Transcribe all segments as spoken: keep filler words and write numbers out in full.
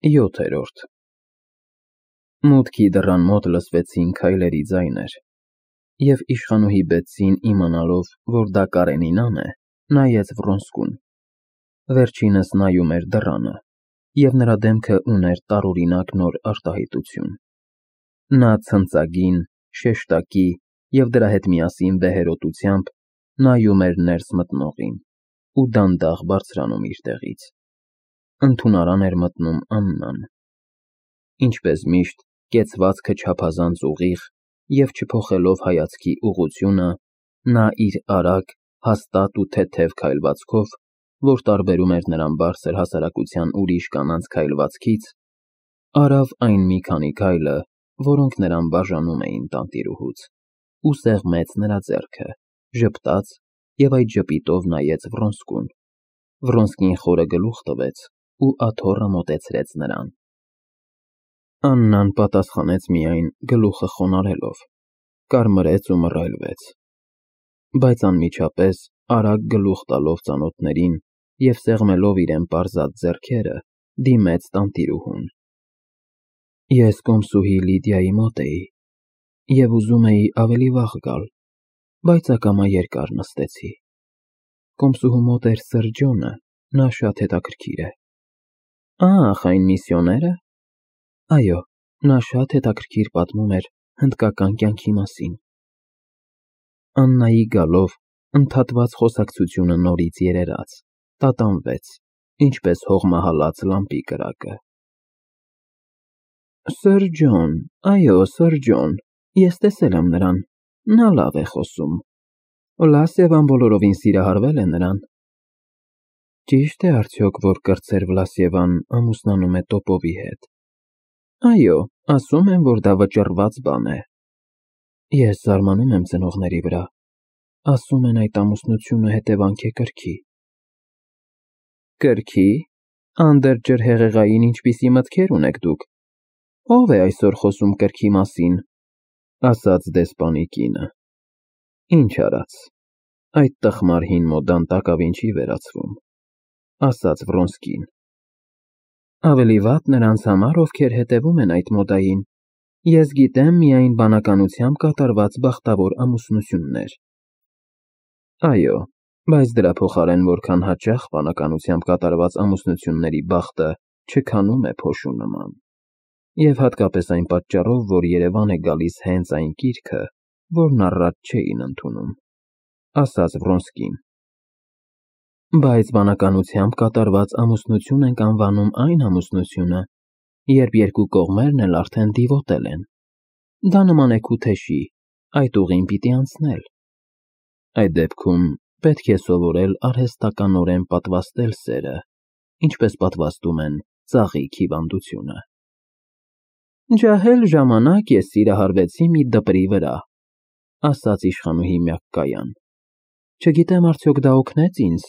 ՅՈԹԵՐՈՐԴ Մուտքի դռան մոտ լսվեցին քայլերի ձայներ, և իշխանուհի Բեթսին, իմանալով, որ դա Կարենինան է, նայեց Վռոնսկուն. վերջինս նայում էր դռանը, և նրա դեմքը ուներ տարօրինակ նոր արտահայտություն. նա ցնծագին, շեշտակի և դրա հետ միասին վեհերոտությամբ նայում էր ներս մտնողին ու դանդաղ բարձրանում իր տեղից. ընդունարան էր մտնում Աննան. ինչպես միշտ, կեցվածքը չափազանց ուղիղ և չփոխելով հայացքի ուղղությունը, նա իր արագ, հաստատ ու թեթև քայլվածքով, որ տարբերում էր նրան բարձր հասարակության ուրիշ կանանց քայլվածքից, արավ այն մի քանի քայլը, որոնք նրան բաժանում էին տանտիրուհուց, ու սեղմեց նրա ձեռքը, ժպտաց և այդ ժպիտով նայեց Վռոնսկուն. Վռոնսկին խորը գլուխ տվեց ու աթոռը մոտեցրեց նրան: Աննան պատասխանեց միայն գլուխը խոնարհելով, կարմրեց ու մռայլվեց, բայց անմիջապես, արագ գլուխ տալով ծանոթներին և սեղմելով իրեն պարզած ձեռքերը, դիմեց տանտիրուհուն. Ես կոմսուհի Լիդիայի մոտ էի և ուզում էի ավելի վաղ գալ, բայց ակամա երկար նստեցի: Կոմսուհու մոտ էր սըր Ջոնը, նա շատ հետաքրքիր է: Ահ, այն միսիոնե՞րը: Այո, նա շատ հետաքրքիր պատմում էր հնդկական կյանքի մասին: Աննայի գալով, ընդհատված խոսակցությունը նորից երերաց, տատանվեց, ինչպես հողմահալած լամպի կրակը: Սըր Ջոն, այո, սըր Ջոն, ես տեսել եմ նրան, նա լավ է խոսում: Վլասիևան բոլորովին սիրահարվել է նրան: Ճի՞շտ է արդյոք, որ կրտսեր Վլասիևան ամուսնանում է տոպովի հետ: Այո, ասում են, որ դա վճռված բան է: Ես զարմանում եմ ծնողների վրա: Ասում են այդ ամուսնությունը հետևանք է կրքի: Կրքի՞: Անդրջրհեղեղային ինչպիսի մտքեր ունեք դուք: Ո՞վ է այսօր խոսում կրքի մասին: Ասաց դեսպանի կինը: Ինչ արած, այդ տխմար հին մոդան տակավին չի վերացվում: Ասաց Վռոնսկին: Ավելի վատ նրանց համար, ովքեր հետևում են այդ մոդային: Ես գիտեմ միայն բանականությամբ կատարված բախտավոր ամուսնություններ: Այո, բայց դրա փոխարեն որքան հաճախ բանականությամբ կատարված ամուսնությունների բախտը չքանում է փոշու նման: Եվ հատկապես այն պատճառով, որ Երևան է գալիս հենց այն կիրքը, որն առաջ չէին ընդունում: Ասաց Վռոնսկին: Բայց բանականությամբ կատարված ամուսնություն ենք անվանում այն ամուսնությունը, երբ երկու կողմերն էլ արդեն դիվոտել են: Դա նման է քութեշի, այդ ուղին պիտի անցնել: Այդ դեպքում պետք է սովորել արհեստականորեն պատվաստել սերը, ինչպես պատվաստում են ծաղիկ հիվանդությունը: Ջահել ժամանակ ես սիրահարվեցի մի դպրի վրա: Ասաց իշխանուհի մյակկայան: Չգիտեմ արդյոք դա օգնեց ինձ: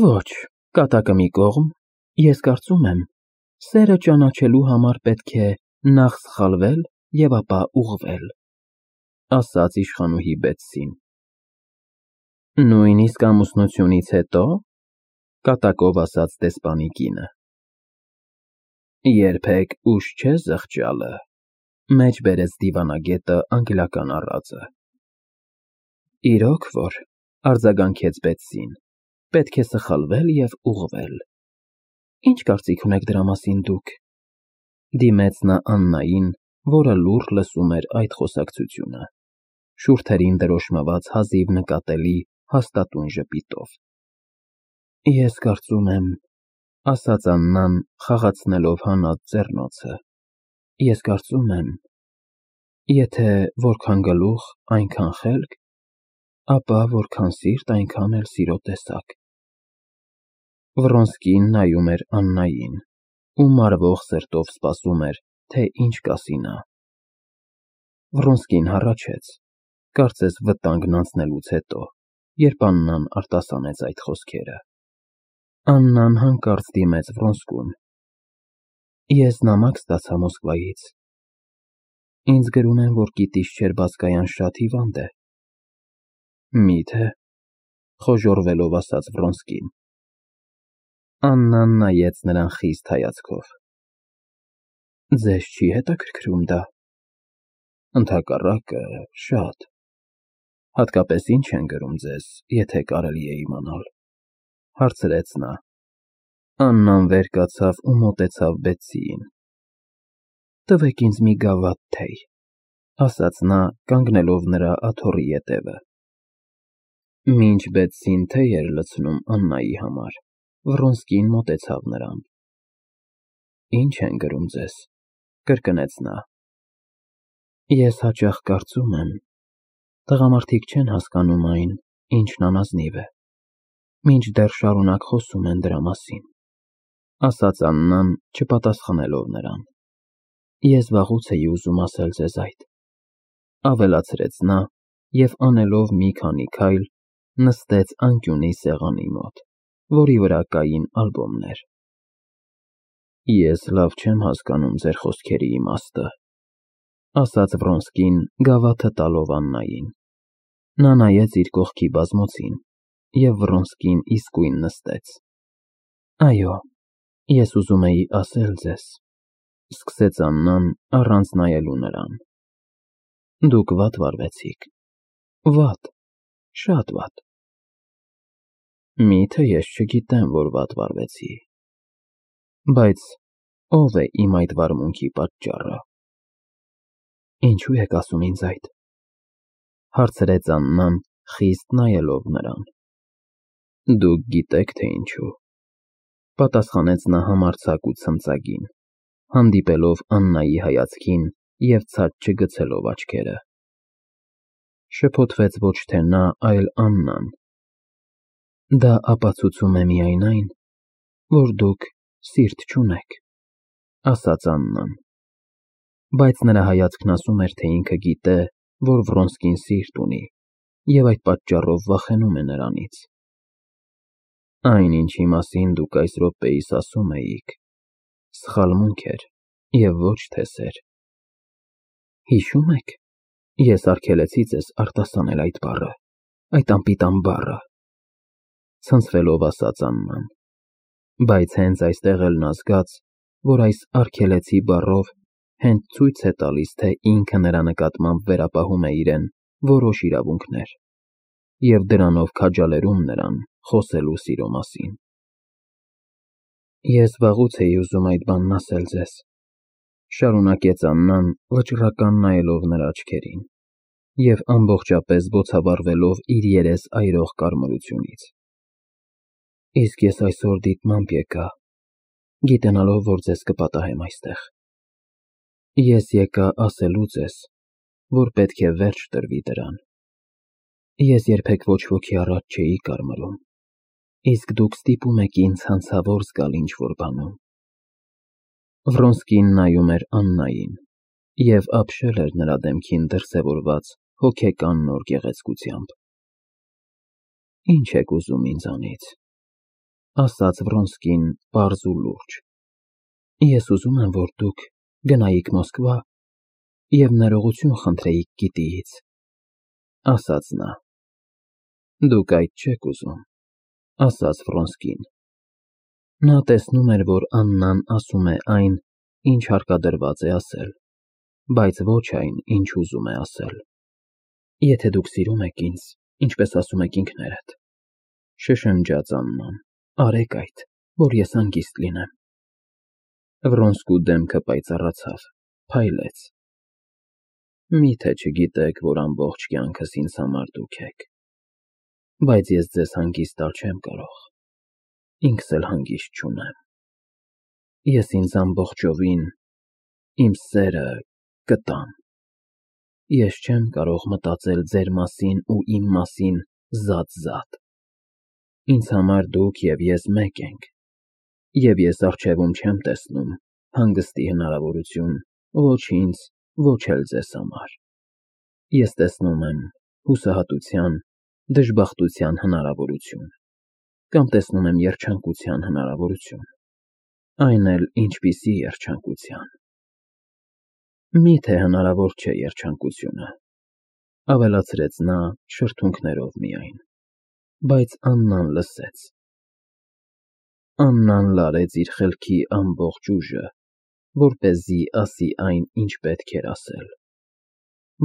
Ոչ, կատակը մի կողմ, ես կարծում եմ, սերը ճանաչելու համար պետք է նախ սխալվել և ապա ուղղվել: Ասաց իշխանուհի Բեթսին: Նույնիսկ ամուսնությունից հետո՞: Կատակով ասաց դեսպանի կինը: Երբեք ուշ չէ զղջալը, մեջ բերեց դիվանագետը անգլիական առածը: Իրոք որ, արձագանքեց Բեթսին, պետք է սխալվել և ուղղվել: Ինչ կարծիք ունեք դրա մասին դուք: Դիմեց նա Աննային, որը լուռ լսում էր այդ խոսակցությունը, շուրթերին դրոշմված հազիվ նկատելի հաստատուն ժպիտով: Ես կարծում եմ, ասաց Աննան, խաղացնելով հանած ձեռնոցը, ես կարծում եմ, եթե որքան գլուխ, այնքան խելք, ապա որքան սիրտ, այնքան էլ սիրո տեսակ: Վռոնսկին նայում էր Աննային ու մարվող սրտով սպասում էր, թե ինչ կասի նա: Վռոնսկին հառաչեց, կարծես վտանգն անցնելուց հետո, երբ Աննան արտասանեց այդ խոսքերը: Աննան հանկարծ դիմեց Վռոնսկուն: Ես նամակ ստացա Մոսկվայից: Ինձ գրում են, որ գիտիս չէր բազկայան շատ հիվանդ է: Մի՞թե: Խոժոռվելով ասաց Վռոնսկին: Աննան նայեց նրան խիստ հայացքով: Ձեզ չի հետաքրքրում դա։ Ընդհակառակը, շատ։ Հատկապես ինչ են գրում ձեզ, եթե կարելի է իմանալ, հարցրեց նա։ Աննան վեր կացավ ու մոտեցավ Բեթսիին։ Տվեք ինձ մի գավաթ թեյ, ասաց նա, կանգնելով նրա աթոռի ետևը։ Մինչ Բեթսին թեյ էր լցնում Աննայի համար, Վռոնսկին մոտեցավ նրան։ Ինչ են գրում ձեզ, կրկնեց նա։ Ես հաճախ կարծում եմ, տղամարդիկ չեն հասկանում այն, ինչն անազնիվ է, մինչդեռ շարունակ խոսում են դրա մասին, ասաց Աննան, չպատասխանելով նրան։ Ես վաղուց էի ուզում ասել ձեզ այդ, ավելացրեց նա և անելով մի քանի քայլ, նստեց անկյունի սեղանի մոտ, որի վրա կային ալբոմներ։ Ես լավ չեմ հասկանում ձեր խոսքերի իմաստը, ասաց Վռոնսկին, գավաթը տալով Աննային։ Նա նայեց իր կողքի բազմոցին, և Վռոնսկին իսկույն նստեց։ Այո, ես ուզում էի ասել ձեզ, սկսեց Աննան, առանց նայելու նրան։ Դուք վատ վարվեցիք։ Վատ, շատ վատ։ Միթե ես չգիտեմ, որ վատ վարվեցի։ Բայց ո՞վ է իմ այդ վարմունքի պատճառը։ Ինչու եք ասում ինձ այդ, հարցրեց Աննան, խիստ նայելով նրան։ Դուք գիտեք, թե ինչու, պատասխանեց նա համարձակ ու ցնծագին, հանդիպելով Աննայի հայացքին և ցած չգցելով աչքերը։ Շփոթվեց ոչ թե նա, այլ Աննան։ Դա ապացուցում է միայն այն, որ դուք սիրտ չունեք, ասաց Աննան։ Բայց նրա հայացքն ասում էր, թե ինքը գիտե, որ Վռոնսկին սիրտ ունի, և այդ պատճառով վախենում է նրանից։ Այն, ինչի մասին դուք այս րոպեիս ասում էիք, սխալմունք էր և ոչ թե սեր։ Հիշո՞ւմ եք, ես արգելեցի ձեզ արտասանել այդ բառը, այդ անպիտան բառը, ցնցվելով ասաց Աննան։ Բայց հենց այստեղ էլ նա զգաց, որ այս արգելեցի բառով հենց ցույց է տալիս, թե ինքը նրա նկատմամբ վերապահում է իրեն որոշ իրավունքներ և դրանով քաջալերում նրան խոսելու սիրո մասին։ Ես վաղուց էի ուզում այդ բանն ասել ձեզ, շարունակեց Աննան, վճռական նայելով նրա աչքերին և ամբողջապես բոցավառվելով իր երես այրող կարմրությունից։ Իսկ ես այսօր դիտմամբ եկա, գիտենալով, որ ձեզ կպատահեմ այստեղ։ Ես եկա ասելու ձեզ, որ պետք է վերջ տրվի դրան։ Ես երբեք ոչ ոքի առաջ չէի կարմրում, իսկ դուք ստիպում եք ինձ հանցավոր զգալ ինչ-որ բանում։ Վռոնսկին նայում էր Աննային, և ապշել էր նրա դեմքին դրսևորված հոգեկան նոր գեղեցկությամբ։ Ինչ եք ուզում ինձանից, ասաց Վռոնսկին պարզ ու լուրջ։ Ես ուզում եմ, որ դուք գնայիք Մոսկվա և ներողություն խնդրեիք գիտիից, ասաց նա։ Դուք այդ չեք ուզում, ասաց Վռոնսկին։ Նա տեսնում էր, որ Աննան ասում է այն, ինչ հարկադրված է ասել, բայց ոչ այն, ինչ ուզում է ասել։ Եթե դուք սիրում եք ինձ, ինչպես ասում եք ինքներդ, շշնջաց Աննան, արեք այդ, որ ես հանգիստ լինեմ։ Վռոնսկու դեմքը պայծառացավ, փայլեց։ Միթե չգիտեք, որ ամբողջ կյանքս ինձ համար դուք եք, բայց ես ձեզ հանգիստ տալ չեմ կարող, ինքս էլ հանգիստ չունեմ։ Ես ինձ ամբողջովին, իմ սերը կտամ։ Ես չեմ կարող մտածել ձեր մասին ու իմ մասին զատ-զատ։ Ինձ համար դուք և ես մեկ ենք, և ես առջևում չեմ տեսնում հանգստի հնարավորություն ոչ ինձ, ոչ էլ ձեզ համար։ Ես տեսնում եմ հուսահատության, դժբախտության հնարավորություն, կամ տեսնում եմ երջանկության հնարավորություն, այն էլ ինչպիսի երջանկության։ Միթե հնարավոր չէ երջանկությունը, ավելացրեց նա շրթունքներով միայն, բայց Աննան լսեց։ Աննան լարեց իր խելքի ամբողջ ուժը որպեսզի ասի այն, ինչ պետք էր ասել։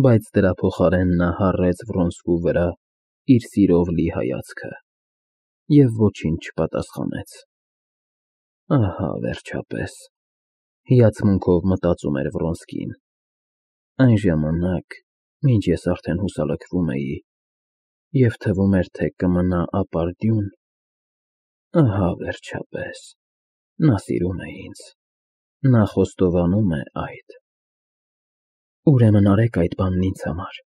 Բայց դրա փոխարեն նա հառեց Վրոնսկու վրա իր սիրով լի հայացքը և ոչինչ չպատասխանեց։ Ահա, վերջապես, հիացմունքով մտածում էր Վրոնսկին, այն ժամանակ, մինչ ես արդեն հուսալքվում էի և թվում էր, թե կմնա ապարդյուն, ահա, վերջապես, նա սիրում է ինձ, նա խոստովանում է այդ։ Ուրեմն արեք այդ բանն ինձ համար,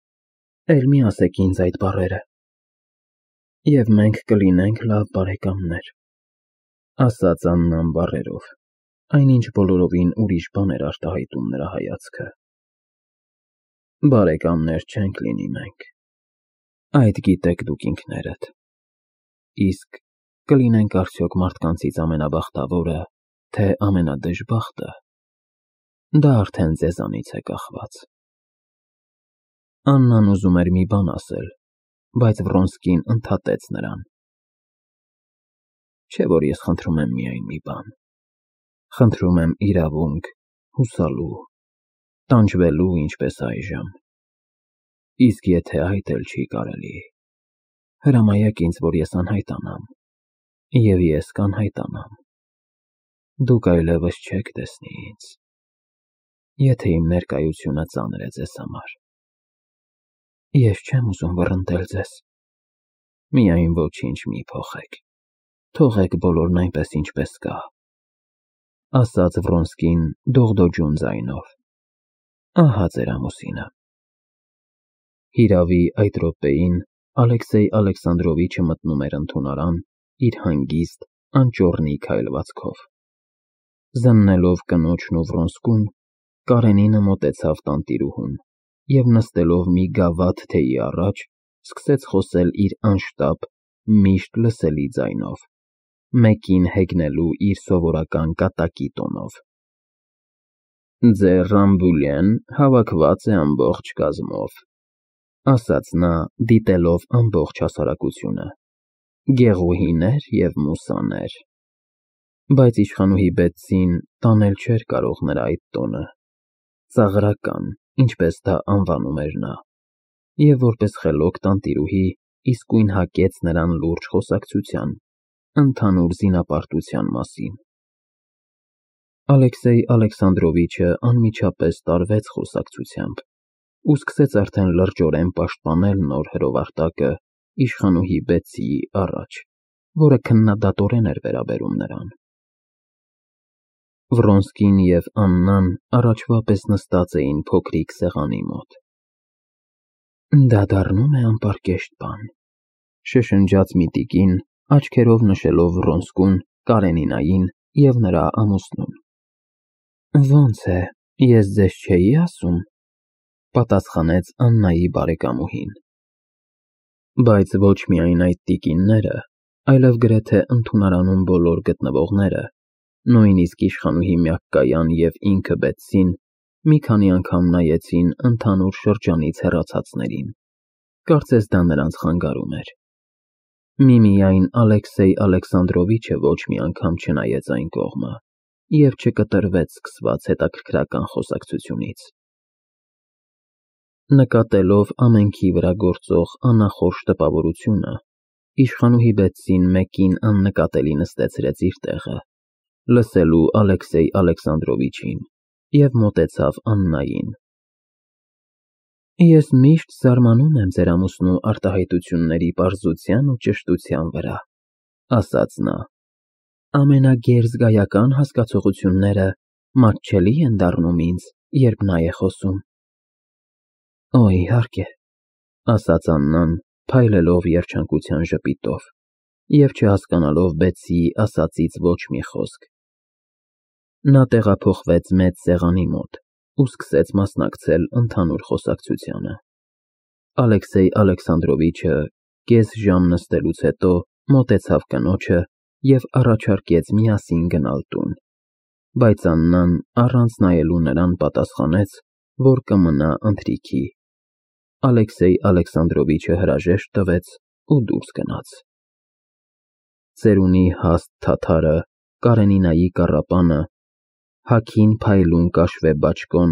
էլ մի ասեք ինձ այդ բառերը, և մենք կլինենք լավ բարեկամներ, ասաց Աննան բառերով, այնինչ բոլորովին ուրիշ բան էր արտահայտում նրա հայացքը։ Բարեկամներ չենք լինի մենք, այդ գիտեք դուք ինքներդ, իսկ կլինենք արդյոք մարդկանցից ամենաբախտավորը, թե ամենադժբախտը, դա արդեն ձեզանից է կախված։ Աննան ուզում էր մի բան ասել, բայց Վրոնսկին ընդհատեց նրան։ Չէ՞ որ ես խնդրում եմ միայն մի բան, խնդրում եմ իրավունք հուսալու, տանջվելու, ինչպես այժմ, իսկ եթե այդ էլ չի կարելի, հրամայեք ինձ, որ ես անհայտանամ, և ես կանհայտանամ, դուք այլևս չեք տեսնի ինձ, եթե իմ ներկայությունը ծանր է ձեզ համար։ Ես չեմ ուզում վռնդել ձեզ, միայն ոչինչ մի փոխեք, թողեք բոլորն այնպես, ինչպես կա, ասաց Վրոնսկին դողդոջուն ձայնով, ահա ձեր ամուսինը։ Հիրավի, այդ րոպեին Ալեքսեյ Ալեքսանդրովիչը մտնում էր ընդունարան իր հանգիստ, անճոռնի քայլվածքով։ Զննելով կնոջն ու Վրոնսկուն, Կարենինը մոտեցավ տանտիրուհուն և նստելով մի գավաթ թեյի առաջ, սկսեց խոսել իր անշտապ, միշտ լսելի ձայնով, մեկին հեգնելու իր սովորական կատակի տոնով։ Ձեր Ռամբուլեն հավաքված է ամբողջ կազմով, ասաց նա, դիտելով ամբողջ հասարակությունը, գեղուհիներ և մուսաներ, բայց իշխանուհի Բետսին տանել չէր կարող նրա այդ տոնը, ծաղրական, ինչպես դա անվանում էր նա, և որպես խելոք տանտիրուհի իսկույն հակեց նրան լուրջ խոսակցության, ընդհանուր զինապարտության մասին։ Ալեքսեյ Ալեքսանդրովիչը անմիջապես տարվեց խոսակցությամբ ու սկսեց արդեն լրջորեն պաշտպանել նոր հրովարտակը իշխանուհի Բետսիի առաջ, որը քննադատորեն էր վերաբերում նրան։ Վրոնսկին և Աննան առաջվա պես նստած էին փոքրիկ սեղանի մոտ։ Դա դառնում է անպարկեշտ բան, շշնջաց մի տիկին, աչքերով նշելով Վրոնսկուն, Կարենինային և նրա ամուսնուն։ Ոնց է, ես ձեզ չէի ասում, պատասխանեց Աննայի բարեկամուհին։ Բայց ոչ միայն այդ տիկինները, այլև գրեթե ընդունարանում բոլոր գտնվողները, նույնիսկ իշխանուհի Մյակկայան և ինքը Բետսին մի քանի անգամ նայեցին ընդհանուր շրջանից հեռացածներին, կարծես դա նրանց խանգարում էր։ Միմիայն Ալեքսեյ Ալեքսանդրովիչը ոչ մի անգամ չնայեց այն կողմը և չկտրվեց սկսված հետաքրքրական խոսակցությունից։ Նկատելով ամենքի վրա գործող անախորժ տպավորությունը, իշխանուհի Բետսին մեկին աննկատելի նստեցրեց իր տեղը, լսելու Ալեքսեյ Ալեքսանդրովիչին, և մոտեցավ Աննային։ Ես միշտ զարմանում եմ ձեր ամուսնու արտահայտությունների պարզության ու ճշտության վրա, ասաց նա։ Ամենագերզգայական հասկացողությունները մատչելի են դառնում ինձ, երբ նա է խոսում։ Օ, իհարկե, ասաց Աննան, փայլելով երջանկության ժպիտով և չհասկանալով Բետսիի ասածից ոչ մի խոսք։ Նա տեղափոխվեց մեծ սեղանի մոտ ու սկսեց մասնակցել ընդհանուր խոսակցությանը։ Ալեքսեյ Ալեքսանդրովիչը կես ժամ նստելուց հետո մոտեցավ կնոջը և առաջարկեց միասին գնալ տուն, բայց Աննան առանց նայելու նրան պատասխանեց, որ կմնա ընթրիքի։ Ալեքսեյ Ալեքսանդրովիչը հրաժեշտ տվեց ու դուրս գնաց։ Ծերունի հաստ թաթարը, Կարենինայի կառապանը, Հագին փայլուն կաշվե բաճկոն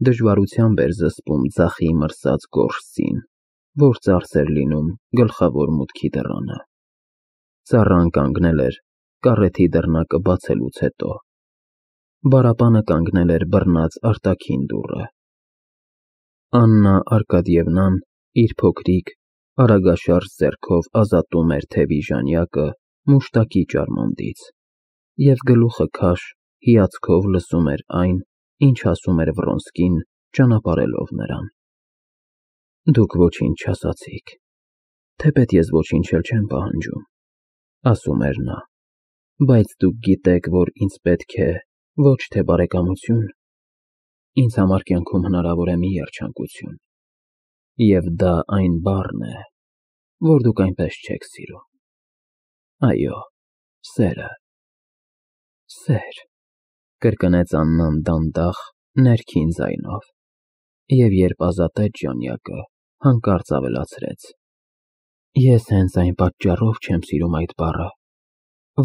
դժվարությամբ էր զսպում ձախի մրսած գորշձին, որ ծարս էր լինում գլխավոր մուտքի դռանը։ Ծառան կանգնել էր կառեթի դռնակը բացելուց հետո։ Բարապանը կանգնել էր բռնած արտաքին դուռը։ Աննա Արկադիևնան իր փոքրիկ, արագաշարժ ձեռքով ազատում էր թևի ժանյակը մուշտակի ճարմոնդից և գլուխը քաշ հիացքով լսում էր այն, ինչ ասում էր Վռոնսկին, ճանապարհելով նրան։ Դուք ոչինչ չասացիք, թեպետ ես ոչինչ էլ չեմ պահանջում, ասում էր նա, բայց դուք գիտեք, որ ինձ պետք է ոչ թե բարեկամություն, ինձ համար կյանքում հնարավոր է մի երջանկություն, և դա այն բառն է, որ դուք այնպես չեք սիրում։ Այո, սերը։ Սեր, կրկնեց Աննան դանդաղ, ներքին ձայնով, և երբ ազատեց ժանյակը, հանկարծ ավելացրեց. Ես հենց այն պատճառով չեմ սիրում այդ բառը,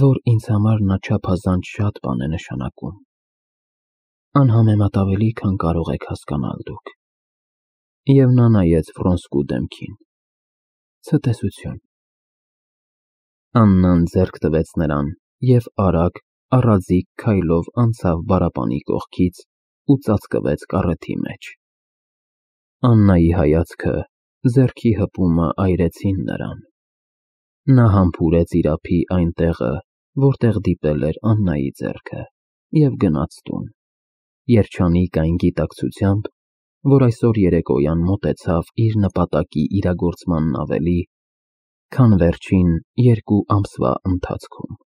որ ինձ համար նա չափազանց շատ բան է նշանակում, անհամեմատ ավելի, քան կարող եք հասկանալ դուք։ Եվ նա նայեց Վռոնսկու դեմքին։ Ցտեսություն։ Աննան ձեռք տվեց նրան և արագ, առաձիգ քայլով անցավ բարապանի կողքից ու ծածկվեց կառեթի մեջ։ Աննայի հայացքը, ձեռքի հպումը այրեցին նրան։ Նա համբուրեց իր ափի այն տեղը, որտեղ դիպել էր Աննայի ձեռքը, և գնաց տուն, երջանիկ այն գիտակցությամբ, որ այսօր երեկոյան մոտեցավ իր նպատակի իրագործմանն ավելի, քան վերջին երկու ամսվա ընթացքում։